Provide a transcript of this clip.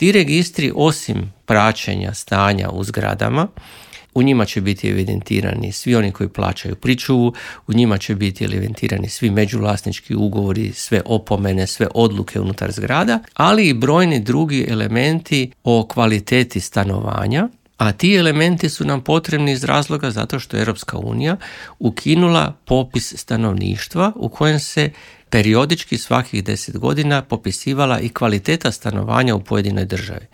Ti registri, osim praćenja stanja u zgradama, u njima će biti evidentirani svi oni koji plaćaju pričuvu, u njima će biti evidentirani svi međuvlasnički ugovori, sve opomene, sve odluke unutar zgrada, ali i brojni drugi elementi o kvaliteti stanovanja, a ti elementi su nam potrebni iz razloga zato što je Europska unija ukinula popis stanovništva u kojem se periodički svakih 10 godina popisivala i kvaliteta stanovanja u pojedinoj državi.